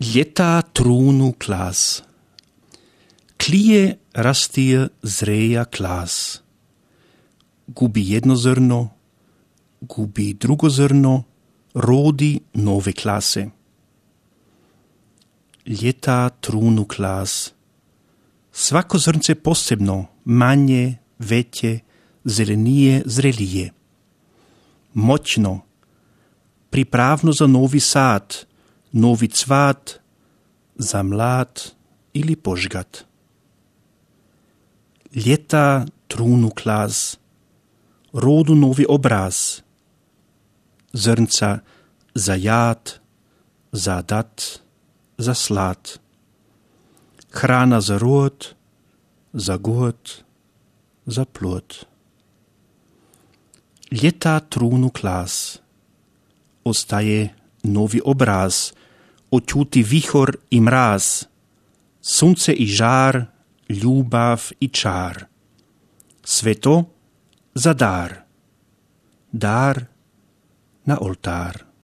Ljeta trunu klas. Klije rastije zreja klas. Gubi jedno zrno, gubi drugo zrno, rodi nove klase. Ljeta trunu klas. Svako zrnce posebno, manje, veće, zelenije, zrelije. Moćno, pripravno za novi sad, novi cvat, za mlad ili požgat. Ljeta trunu klas, rodu novi obraz, zrnca za jad, za dat, za slad. Hrana za rod, za god, za plod. Ljeta trunu klas, ostaje novi obraz, očuti vihor i mraz, sunce i žar, ljubav i čar. Sve to za dar, dar na oltar.